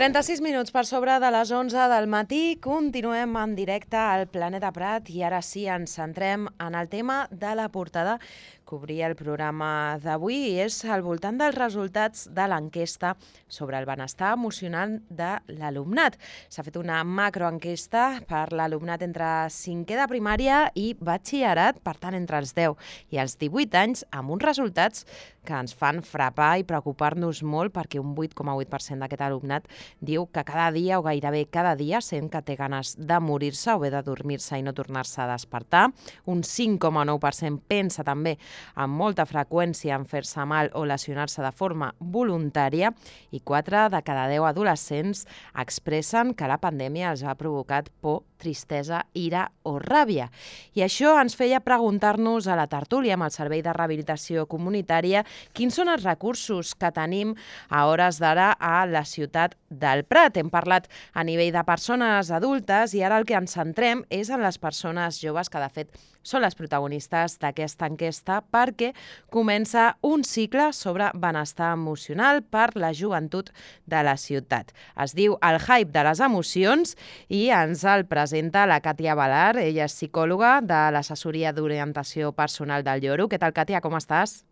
36 minuts per sobre de les 11 del matí. Continuem en directe al Planeta Prat i ara sí ens centrem en el tema de la portada que obria el programa d'avui i és al voltant dels resultats de l'enquesta sobre el benestar emocional de l'alumnat. S'ha fet una macroenquesta per l'alumnat entre 5è de primària i batxillerat, per tant entre els 10 i els 18 anys, amb uns resultats que ens fan frapar i preocupar-nos molt perquè un 8,8% d'aquest alumnat diu que cada dia o gairebé cada dia sent que té ganes de morir-se o bé de dormir-se i no tornar-se a despertar. Un 5,9% pensa també amb molta freqüència en fer-se mal o lesionar-se de forma voluntària i 4 de cada 10 adolescents expressen que la pandèmia els ha provocat por, tristesa, ira o ràbia. I això ens feia preguntar-nos a la tertúlia amb el Servei de Rehabilitació Comunitària quins són els recursos que tenim a hores d'ara a la ciutat del Prat. Hem parlat a nivell de persones adultes i ara el que ens centrem és en les persones joves que de fet són les protagonistes d'aquesta enquesta perquè comença un cicle sobre benestar emocional per la joventut de la ciutat. Es diu El hype de les emocions i ens el presenta la Càtia Balar. Ella és psicòloga de l'assessoria d'orientació personal del Lloro. Què tal, Càtia? Com estàs?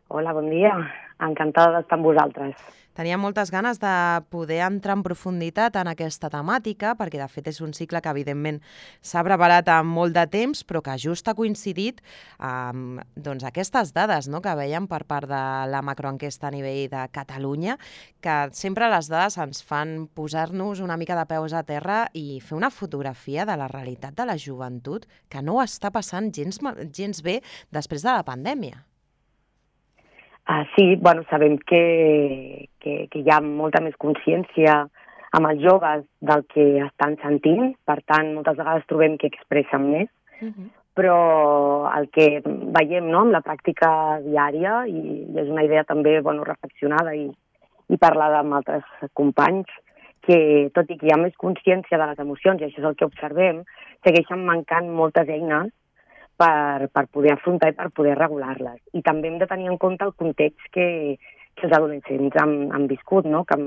Hola, bon dia. Encantada d'estar amb vosaltres. Tenia moltes ganes de poder entrar en profunditat en aquesta temàtica, perquè de fet és un cicle que evidentment s'ha preparat amb molt de temps, però que just ha coincidit amb aquestes dades que veiem per part de la macroenquesta a nivell de Catalunya, que sempre les dades ens fan posar-nos una mica de peus a terra i fer una fotografia de la realitat de la joventut que no ho està passant gens bé després de la pandèmia. Sí, sabem que hi ha molta més consciència amb els joves del que estan sentint, per tant, moltes vegades trobem que expressen més, però el que veiem amb la pràctica diària, i és una idea també reflexionada i parlada amb altres companys, que tot i que hi ha més consciència de les emocions, i això és el que observem, segueixen mancant moltes eines per poder afrontar i per poder regular-les. I també hem de tenir en compte el context que els adolescents han viscut, que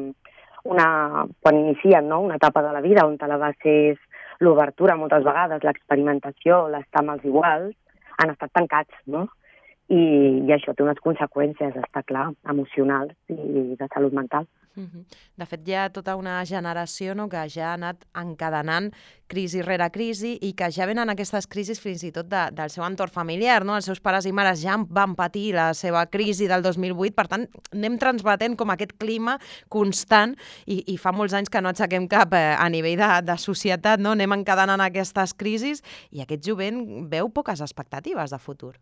quan inicien una etapa de la vida on la base és l'obertura moltes vegades, l'experimentació, l'estar amb els iguals, han estat tancats, I això té unes conseqüències, està clar, emocionals i de salut mental. De fet, hi ha tota una generació que ja ha anat encadenant crisi rere crisi i que ja venen aquestes crisis fins i tot del seu entorn familiar. Els seus pares i mares ja van patir la seva crisi del 2008, per tant, anem transmetent com aquest clima constant i fa molts anys que no aixequem cap a nivell de societat, anem encadenant aquestes crisis i aquest jovent veu poques expectatives de futur.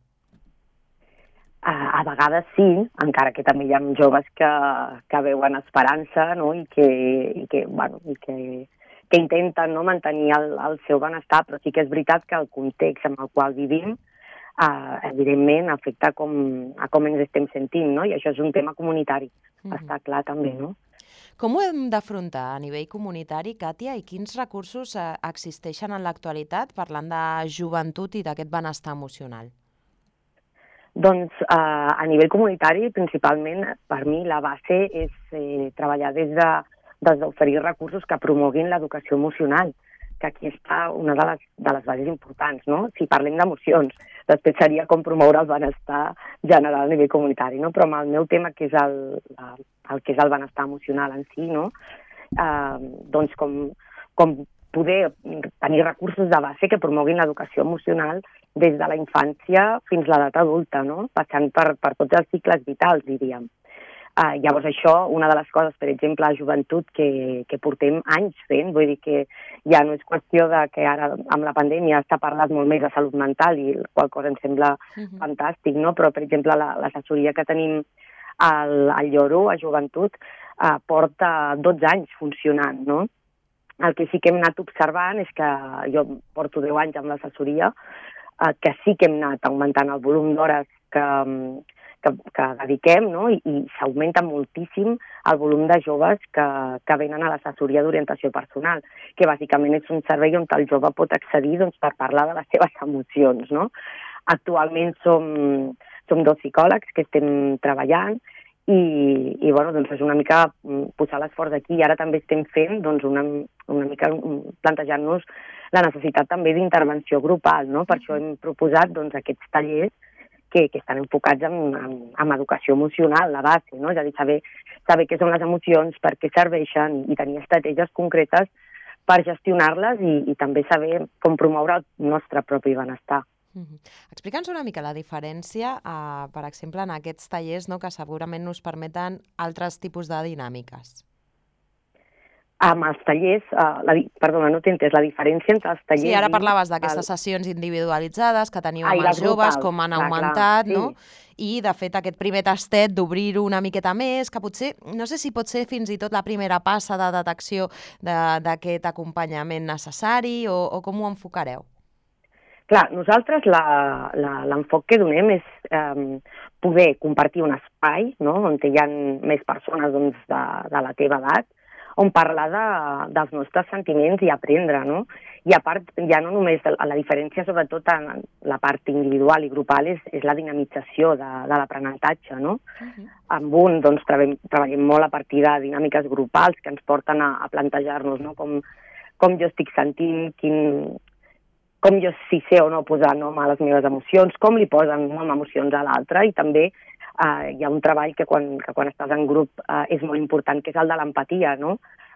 A vegades sí, encara que també hi ha joves que veuen esperança i que intenten mantenir el seu benestar, però sí que és veritat que el context en el qual vivim evidentment afecta a com ens estem sentint, i això és un tema comunitari, està clar també, Com ho hem d'afrontar a nivell comunitari, Càtia, i quins recursos existeixen en l'actualitat parlant de joventut i d'aquest benestar emocional? Doncs a nivell comunitari, principalment, per mi la base és treballar des d'oferir recursos que promoguin l'educació emocional, que aquí està una de les bases importants, Si parlem d'emocions, després seria com promoure el benestar general a nivell comunitari, Però amb el meu tema, que és el que és el benestar emocional en si, doncs com poder tenir recursos de base que promoguin l'educació emocional des de la infància fins a l'edat adulta, passant per tots els cicles vitals, diríem. Llavors això, una de les coses, per exemple, a joventut que portem anys fent, vull dir que ja no és qüestió de que ara amb la pandèmia està parlat molt més de salut mental i qual cosa em sembla fantàstic, però per exemple l'assessoria que tenim al Lloro, a joventut, porta 12 anys funcionant, El que sí que hem anat observant és que jo porto 10 anys amb l'assessoria, que sí que hem anat augmentant el volum d'hores que dediquem, i s'augmenta moltíssim el volum de joves que venen a l'assessoria d'orientació personal, que bàsicament és un servei on el jove pot accedir per parlar de les seves emocions. Actualment som 2 psicòlegs que estem treballant i bueno, doncs és una mica posar l'esforç aquí. I ara també estem fent doncs, una mica plantejant-nos la necessitat també d'intervenció grupal, no? Per això hem proposat doncs, aquests tallers que estan enfocats en educació emocional, la base, no? És a dir, saber què són les emocions, per què serveixen i tenir estratègies concretes per gestionar-les i també saber com promoure el nostre propi benestar. Explica'ns una mica la diferència, per exemple, en aquests tallers, no, que segurament nos permeten altres tipus de dinàmiques. Amb els tallers, perdona, no t'he entès, la diferència entre els tallers... Sí, ara parlaves d'aquestes sessions individualitzades que teniu amb els joves, com han augmentat, no? I, de fet, aquest primer tastet d'obrir-ho una miqueta més, que potser, no sé si pot ser fins i tot la primera passa de detecció d'aquest acompanyament necessari o com ho enfocareu? Clar, nosaltres l'enfoc que donem és poder compartir un espai, no?, on hi ha més persones doncs, de la teva edat, on parlar dels nostres sentiments i aprendre, no? I a part, ja no només la diferència, sobretot en la part individual i grupal, és la dinamització de l'aprenentatge, no? Amb un, doncs, treballem molt a partir de dinàmiques grupals que ens porten a plantejar-nos, no?, com jo estic sentint, com jo si sé o no posar nom a les meves emocions, com li posen nom a emocions a l'altre, i també hi ha un treball que quan estàs en grup és molt important, que és el de l'empatia, no?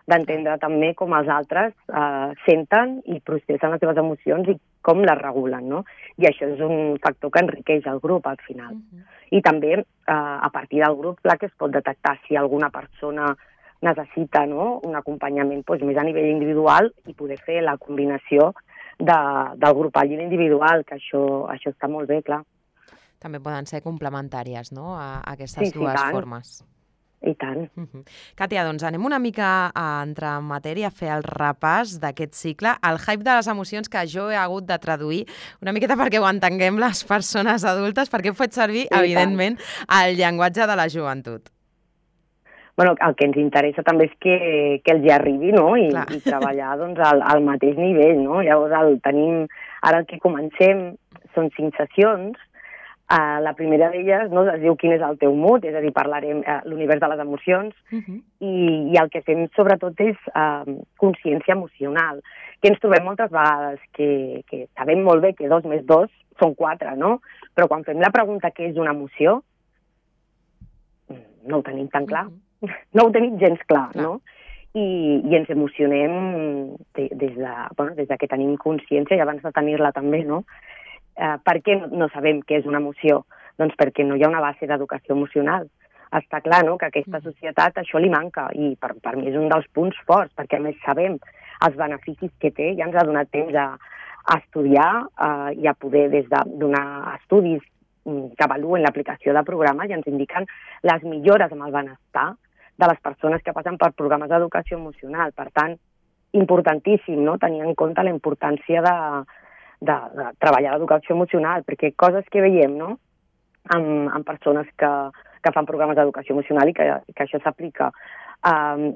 D'entendre també com els altres senten i processen les seves emocions i com les regulen, no? I això és un factor que enriqueix el grup al final. I també a partir del grup, clar que es pot detectar si alguna persona necessita, no?, un acompanyament doncs, més a nivell individual i poder fer la combinació del grupal i l'individual, que això està molt bé, clar. També poden ser complementàries, no?, a aquestes dues formes. I tant. Càtia, doncs anem una mica a entrar en matèria, a fer el repàs d'aquest cicle, el hype de les emocions, que jo he hagut de traduir una miqueta perquè ho entenguem les persones adultes, perquè he fet servir, evidentment, el llenguatge de la joventut. Bueno, el que ens interessa també és que els hi arribi, no?, i treballar doncs, al mateix nivell, no? Llavors, ara el que comencem són 5 sessions. La primera d'elles, no, es diu quin és el teu mood, és a dir, parlarem l'univers de les emocions, i el que fem sobretot és consciència emocional, que ens trobem moltes vegades, que sabem molt bé que 2 més 2 són 4, no? Però quan fem la pregunta què és una emoció, no ho tenim tan clar, no ho tenim gens clar, no? I ens emocionem des de que tenim consciència i abans de tenir-la també, no? Per què no sabem què és una emoció? Doncs perquè no hi ha una base d'educació emocional. Està clar, no?, que a aquesta societat això li manca i per mi és un dels punts forts, perquè a més sabem els beneficis que té, ja ens ha donat temps a estudiar i a poder des de donar estudis que avaluen l'aplicació de programes i ens indiquen les millores amb el benestar de les persones que passen per programes d'educació emocional. Per tant, importantíssim, no?, tenir en compte la importància de treballar l'educació emocional, perquè coses que veiem, no?, amb persones que fan programes d'educació emocional i que això s'aplica,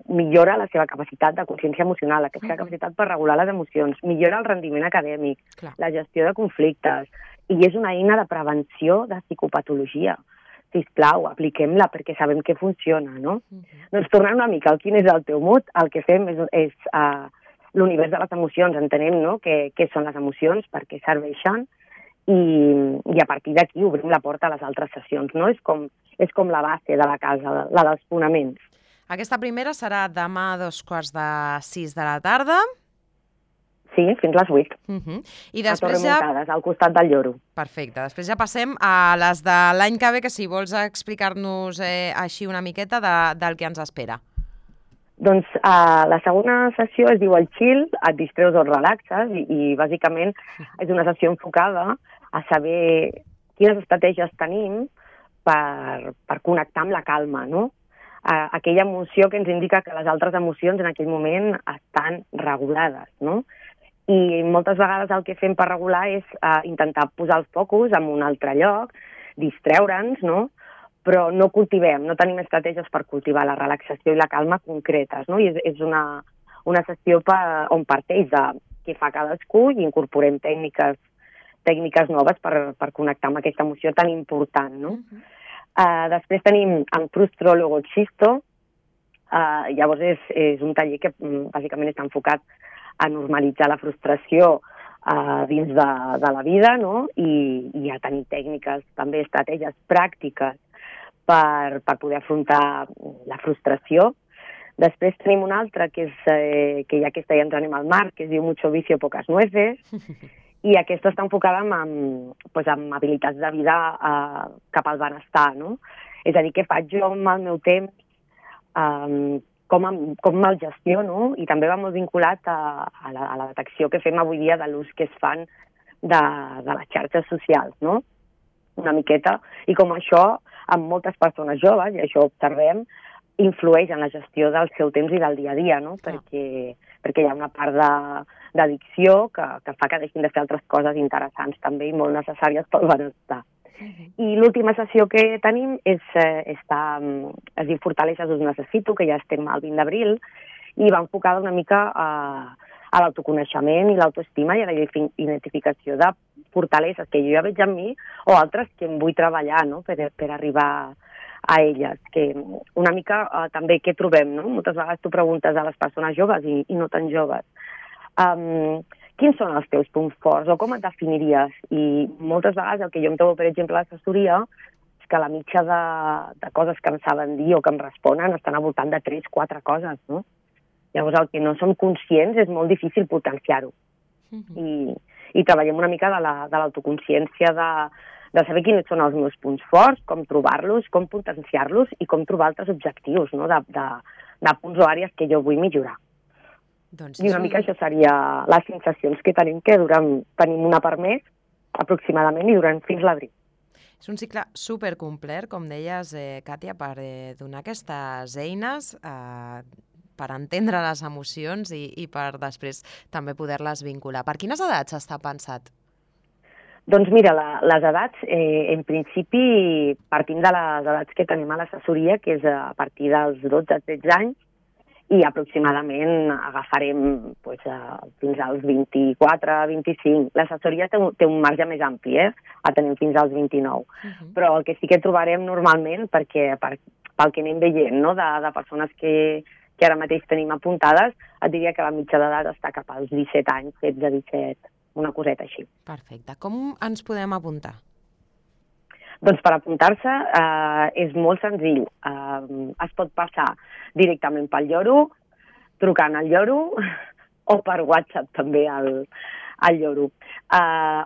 millora la seva capacitat de consciència emocional, la seva capacitat per regular les emocions, millora el rendiment acadèmic, la gestió de conflictes, i és una eina de prevenció de psicopatologia. Sisplau, apliquem-la perquè sabem que funciona, no? Doncs tornant una mica al quin és el teu mood, el que fem és l'univers de les emocions, entenem, no?, què són les emocions, per què serveixen, i a partir d'aquí obrim la porta a les altres sessions, no? És com la base de la casa, la dels fonaments. Aquesta primera serà demà a 14:45 de la tarda. Sí, fins les 8. I després a Torremuntades, al costat del Lloro. Perfecte. Després ja passem a les de l'any que ve, que si vols explicar-nos així una miqueta del que ens espera. Doncs la segona sessió es diu el chill, et distreus o et relaxes, i bàsicament és una sessió enfocada a saber quines estratègies tenim per connectar amb la calma, no? Aquella emoció que ens indica que les altres emocions en aquell moment estan regulades, no? I moltes vegades el que fem per regular és intentar posar el focus en un altre lloc, distreure'ns, no?, però no cultivem, no tenim estratègies per cultivar la relaxació i la calma concretes, no? I és una sessió on parteix de què fa cadascú i incorporem tècniques noves per connectar amb aquesta emoció tan important, no? Després tenim en Frustro Luego Existo. Llavors és un taller que bàsicament està enfocat a normalitzar la frustració dins de la vida, no? I a tenir tècniques, també estratègies pràctiques per poder afrontar la frustració. Després tenim una altra, que ja aquesta ja ens anem al mar, que es diu Mucho vicio, pocas nueces, i aquesta està enfocada en habilitats de vida cap al benestar, no? És a dir, què faig jo amb el meu temps, com me'l gestiono, i també va molt vinculat a la detecció que fem avui dia de l'ús que es fan de les xarxes socials, no? Una miqueta, i com això, amb moltes persones joves, i això ho observem, influeix en la gestió del seu temps i del dia a dia, no? Perquè hi ha una part d'addicció que fa que deixin de fer altres coses interessants també i molt necessàries pel benestar. I l'última sessió que tenim es diu Fortaleixes us necessito, que ja estem al 20 d'abril, i va enfocada una mica a l'autoconeixement i l'autoestima i a la identificació de fortaleses que jo ja veig en mi o altres que em vull treballar, no? per arribar a elles, que una mica també què trobem, no? Moltes vegades tu preguntes a les persones joves i no tan joves, quins són els teus punts forts o com et definiries? I moltes vegades el que jo em trobo, per exemple, a l'assessoria és que la mitja de coses que em saben dir o que em responen estan al voltant de 3-4 coses, no? Llavors el que no som conscients és molt difícil potenciar-ho. I treballem una mica de l'autoconsciència, de saber quins són els meus punts forts, com trobar-los, com potenciar-los i com trobar altres objectius, no? de punts o àrees que jo vull millorar. Doncs I una mica això seria les sensacions que tenim, que tenim una per mes, aproximadament, i duran fins l'abril. És un cicle supercomplet, com deies, Càtia, per donar aquestes eines per entendre les emocions i per després també poder-les vincular. Per quines edats està pensat? Doncs mira, les edats, en principi, partim de les edats que tenim a l'assessoria, que és a partir dels 12-13 anys, i aproximadament agafarem fins als 24-25. L'assessoria té un marge més ampli, la tenim fins als 29. Però el que sí que trobarem normalment, pel que anem veient, no? de persones que ara mateix tenim apuntades, et diria que la mitja d'edat està cap als 17 anys, 16-17, una coseta així. Perfecte. Com ens podem apuntar? Doncs per apuntar-se és molt senzill. Es pot passar directament pel lloro, trucant al lloro, o per WhatsApp també al lloro.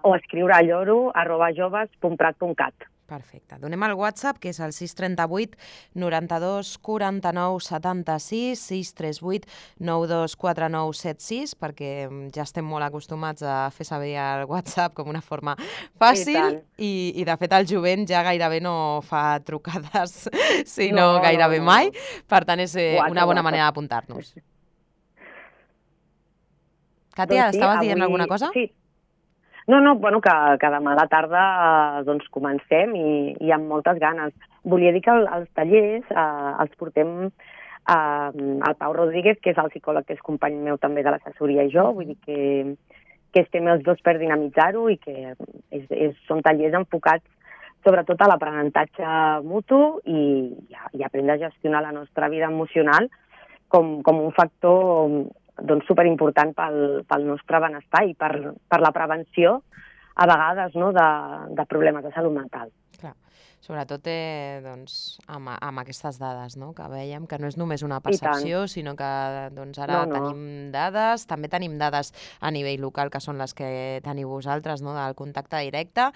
O escriure a lloro@joves.prat.cat. Perfecte. Donem el WhatsApp, que és el 638 92 49 76, 638 92 49 76, perquè ja estem molt acostumats a fer servir el WhatsApp com una forma fàcil i de fet el jovent ja gairebé no fa trucades, sinó gairebé mai. Per tant, és una bona manera d'apuntar-nos. Càtia, estaves dient alguna cosa? Sí. No, que demà a la tarda comencem i amb moltes ganes. Volia dir que els tallers els portem al Pau Rodríguez, que és el psicòleg que és company meu també de l'assessoria, i jo, vull dir que estem els dos per dinamitzar-ho i que són tallers enfocats sobretot a l'aprenentatge mutu i aprendre a gestionar la nostra vida emocional com un factor superimportant pel nostre benestar i per la prevenció, a vegades, de problemes de salut mental. Clar, sobretot amb aquestes dades, que veiem que no és només una percepció, sinó que ara tenim dades, també tenim dades a nivell local, que són les que teniu vosaltres, del contacte directe,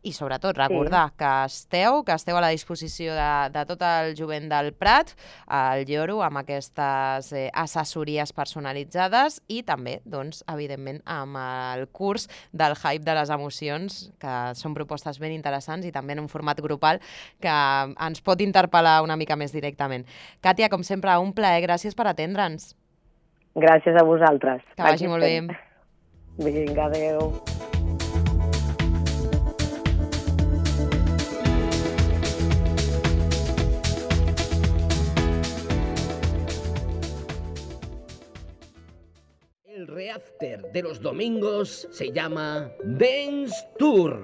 i sobretot recordar que esteu a la disposició de tot el jovent del Prat, al Lloro, amb aquestes assessories personalitzades i també, evidentment, amb el curs del Hype de les emocions, que són propostes ben interessants i també en un format grupal que ens pot interpel·lar una mica més directament. Càtia, com sempre, un plaer. Gràcies per atendre'ns. Gràcies a vosaltres. Que vagi molt bé. Vinga, adéu. El reafter de los domingos se llama Dance Tour.